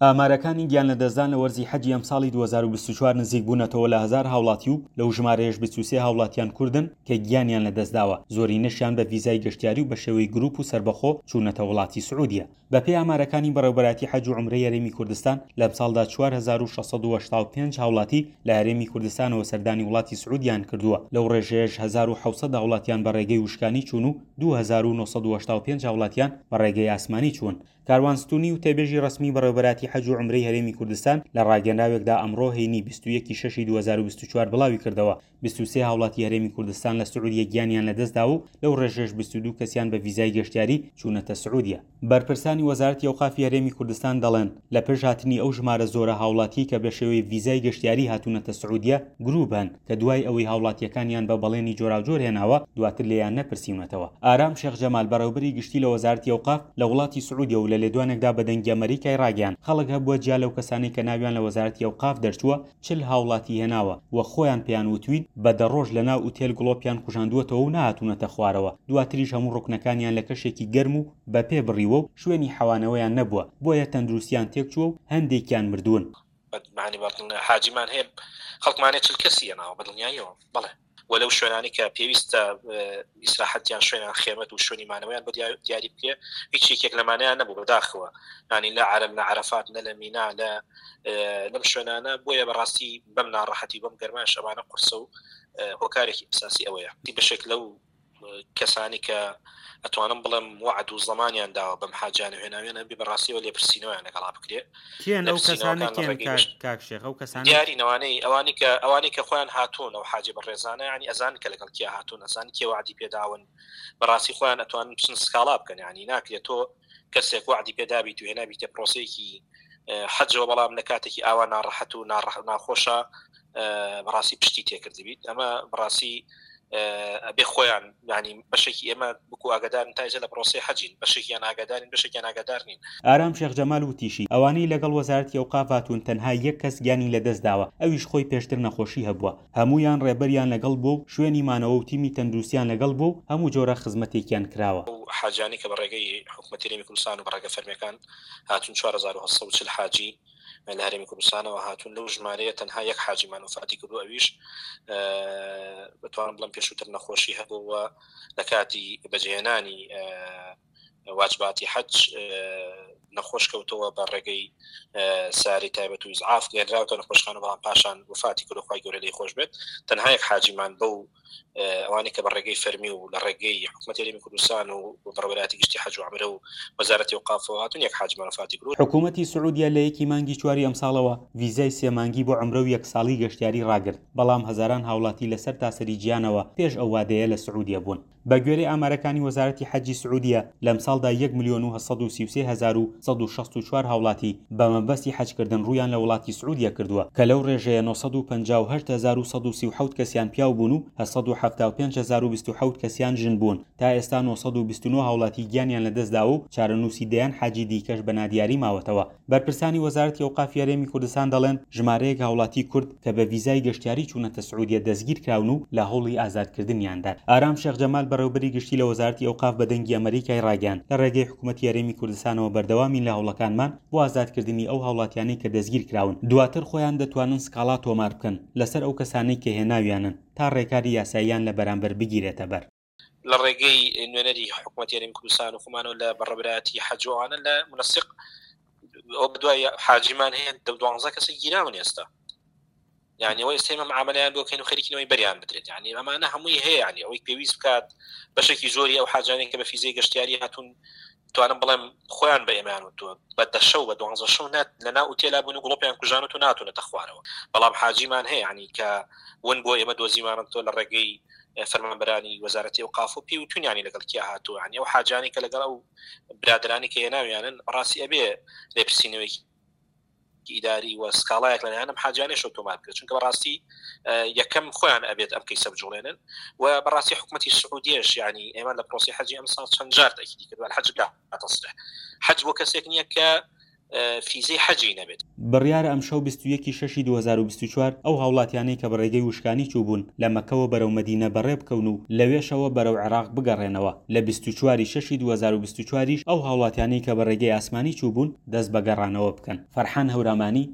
ئامارەکانی گیانلەدەستدان لە وەرزی حەجی ئەمساڵی 2024 نزیکبوونەتەوە لە هەزار هاوڵاتی و لەو ژمارەیەش 23 هاوڵاتیان کوردن کە گیانیان لەدەستداوە، زۆرینەشیان بە ڤیزای گەشتیاری و بەشێوەی گروپ و سەربەخۆ چوونەتە وڵاتی سعودیە. بەپێی ئامارەکانی بەڕێوبەرایەتی حەج و عومرەی هەرێمی کوردستان، لەمساڵدا 4685 هاوڵاتی لە هەرێمی کوردستانەوە سەردانی وڵاتی سعودیان کردووە، لەو ڕێژەیەش 1700 هاوڵاتیان بە ڕێگەی وشکانی چوون و 2985 هاوڵاتیان بە ڕێگەی ئاسمانی چوون. کاروان ستونی وتەبێژی ڕەسمی بەڕێوبەراتی حەج و عومرەی هەرێمی کوردستان لە ڕاگەنراوێکدا ئەمڕۆ هەینی 21 ی شەشی 2024 بڵاویکردەوە، 23 هاوڵاتی هەرێمی کوردستان لە سعودیە گیانیان لەدەستدا و لەو ڕێژەش 22 کەسیان بە ڤیزای گەشتیاری چوونەتە سعودیە. بەرپرسانی وەزارەتی ئەوقافی هەرێمی کوردستان دەڵێن، لە پشت هاتنی ئەو ژمارە زۆرە هاوڵاتیەی کە بە شێوەی ڤیزای گەشتیاری هاتوونەتە سعودیە گروپ هەن کە دوای ئەوەی هاوڵاتیەکانیان بە بەڵێنی جۆراوجۆر هێناوە دواتر لێیان نەپرسیونەتەوە. ئارام شێخ جەمال بەڕێوبەری گشتی لە وەزارەتی ئەوقاف لە وڵاتی سعودیە و لە لێدوانێکدا بە دەنگی ئەمەریکای ڕاگەیاند خەڵک هەبووە جیا لەو کەسانەی کە ناویان لە وەزارەتی ئەوقاف دەرچووە 40 هاوڵاتی هێناوە و خۆیان پێیان وتوین بە دە ڕۆژ لە ناو ئوتێل گڵۆپیان کوژاندووەتەوە و نەهاتوونەتە خوارەوە دواتریش هەموو ڕوکنەکانیان لە کەشێکی گەرم و بە پێ بڕیوە و شوێنی حەوانەوەیان نەبووە بۆیە تەندروستیان تێکچووە و هەندێکیان مردوون. حاجیمان هەیە خەڵکمان هەیە 40 کەسی هێناوە بە دڵنیاییەوە بەڵێ و لەو شوێنانی کە پێویستە ئیسراحەتیان شوێنیان خێمەت و شوێنی مانەوەیان بە دیاری بکرێ هیچ یەکێک لەمانەیان نەبوو بەداخەوە ینی لە عرب لە عرفات نە لە مینا لە لەم شوێنانە بۆیە بەڕاستی بەم ناڕەحەتی بەم گەرماش ئەمانە قورسە و هۆکارێکی ئەساسی ئەوەیە بەشێک لەو کەسانی کە ئەتوانم بڵێم وعد و زەمانیان داوە بەم حاجانە هێناویانە بێ بەڕاستیەوە لێپرسینەوەیان لەگەڵا بکرێ. کێن ئەو کەسانە کێن کاک شێخ ئەو کەسانە؟ دیاری نەوانەی ئەوانی کە ئەوانی کە خۆیان هاتوون ئەو حاجی بەڕێزانە ینی ئەزان کە لەگەڵ کێ هاتوون ئەزان کێ وعدی پێداون بەڕاستی خۆیان ئەتوانن بچن سکاڵا بکەن ینی ناکرێت تۆ کەسێک وعدی پێدابیت و هێنابیتە پرۆسەیەکی حەجەوە بەڵام لە کاتێکی ئاوا ناڕەحەت و ناڕەح ناخۆشە بەڕاستی پشتی تێکردبیت ئەمە بەڕاستی ئەبێ خۆیان ینی بەشێکی ئێمە بکو ئاگدارن تایزە لە پرۆسی حەجین بەشێکیان ئاگادارین بەشێکیان ئاگادار نین. ئارام شێخ جەمال وتیشی، ئەوانەی لەگەڵ وەزارەتی ئەوقاف هاتوون تەنها یەک کەس گیانی لەدەستداوە ئەویش خۆی پێشتر نەخۆشی هەبووە، هەموویان ڕێبەریان لەگەڵ بووە و شوێنی مانەوە و تیمی تەندروستیان لەگەڵ بووە و هەموو جۆرە خزمەتێکیان کراوە. ئەو حاجیانەی کە بە ڕێگەی حکومەتی هەرێمی کوردستان و بە ڕێگە فەرمییەکان هاتوون 4840 حاجی لە هەرێمی کوردستانەوە هاتوون لەو ژمارەیە تەنها یەک حاجیمان وەفاتی کردو ئەویش بتوانم بڵێم پێشووتر نەخۆشی هەبوو و لە کاتی بەجێهێنانی واجباتی حەج نەخۆش کەوتەوە بە ڕێگەی ساری تایبەت و ئیسعاف گەێنراوتە نەخۆشخانە بەڵام پاشان وفاتی کرد خوای گەورە لێی خۆش بێت تەنها یەک حاجیمان بەو ئەوانەی کە بە ڕێگەی فەرمی و لە ڕێگەی حکوومەتی هەرێمی کوردستان و بەڕێوەبەرایەتی گشتی حەج و عەمرە و وەزارەتی ئەوقافەوە هاتوون یەک حاجیمان وەفاتی کردووە. حکوومەتی سعودیە لە یەکی مانگی چواری ئەمساڵەوە ڤیزای سێ مانگی بۆ عەمرە و یەک ساڵی گەشتیاری ڕاگرت، بەڵام هەزاران هاوڵاتی لە سەرتاسەری جیهانەوە پێش ئەو وادەیە لە سعودیە بوون. بەگوێرەی ئامارەکانی وەزارەتی حەجی سعودیە، لەمساڵدا یەک ملیۆن و 833 هەزار و 164 هاوڵاتی بە مەبەستی حەجکردن ڕوویان لە وڵاتی سعودیە کردووە، کە لەو ڕێژەیە 958 هەزار و 137 کەسیان پیاو بوون و 875 هەزار و 27 کەسیان ژن بوون. تا ئێستا 929 هاوڵاتی گیانیان لەدەستداوە و چارەنووسی دەیان حاجی دیکەش بە نادیاری ماوەتەوە. بەرپرسانی وەزارەتی ئەوقافی هەرێمی کوردستان دەڵێن، ژمارەیەک هاوڵاتی کورد کە بە ڤیزای گەشتیاری چوونەتە سعودیە دەستگیرکراون و لە هەوڵی ئازادکردنیاندان. ئارام شێخ جەمال بەڕێوەبەری گشتی لە وەزارەتی ئەوقاف بە دەنگی ئەمەریکای ڕاگەیاند، لە ڕێگەی حکومەتی هەرێمی کوردستانەوە بەردەوامین لە هەوڵەکانمان بۆ ئازادکردنی ئەو هاوڵاتیانەی کە دەستگیرکراون، دواتر خۆیان دەتوانن سکاڵا تۆمار بکەن لەسەر ئەو کەسانەی کە هێناویانن تا ڕێکاری یاساییان لە بەرامبەر بگیرێتەبەر. لە ڕێگەی نوێنەری حکوومەتی هەرێمی کوردستان و خۆمانەوە لە بەڕێوەبەرایەتی حەج و ئەوانە لە منسق ئەو بەدوای حاجیمان هەیە دە دوانزە کەسی گیراون ئێستا یعنی ئەوە ئێستا ئێمە معاملەیان بۆ کەین و خەریکینەوەی بەریان بدرێت یعنی ئەمانە هەمووی هەیە یعنی ئەوەی پێویست بکات بەشێکی زۆری ئەو حاجانەی کە بە فیزەی گەشتیاری هاتوون توانم بڵێم خۆیان بە ئێمەیان وتووە بە دە شەو بە دوانزە شەو نات لە ناو ئوتێلا بوون و گڵۆپیان کوژانوت و ناتونەتە خوارەوە بەڵام حاجیمان هەیە ینی کە ون بۆ ئێمە دۆزیمانە تۆ لە ڕێگەی فەرمانبەرانی وەزارەتی ئەوقاف و پێی وتونیانی لەگەڵ کیا هاتووە ینی ئەو حاجانی کە لەگەڵ ئەو برادرانی کە هێناویانن ڕاستی ئەبێ لێپرسینەوەیەکی ئیداری و سکاڵایەک لەلایەن ئەم حاجیانەشەوە تۆمار بکرێت چونکە بەڕاستی یەکەم خۆیان ئەبێت ئەم کەیسە بجوڵێنن و بەڕاستی حکوومەتی سعودیەش ینی ئێمە لە پرۆسی حەجی ئەمساڵ چەند جار تەکیدی کردووە الحج لا تصلح حەج بۆ کەسێک نییە کە فیزەی حەجی نەبێت. بڕیارە ئەمشەو 21 ی شەشی 2024 ئەو هاوڵاتیانەی کە بە ڕێگەی وشکانی چووبوون لە مەککەوە بەرەو مەدینە بەڕێ بکەون و لەوێشەوە بەرەو عێراق بگەڕێنەوە، لە 24 ی شەشی 2024 یش ئەو هاوڵاتیانەی کە بە ڕێگەی ئاسمانی چووبوون دەست بە گەڕانەوە بکەن. فەرحان هەورامانی.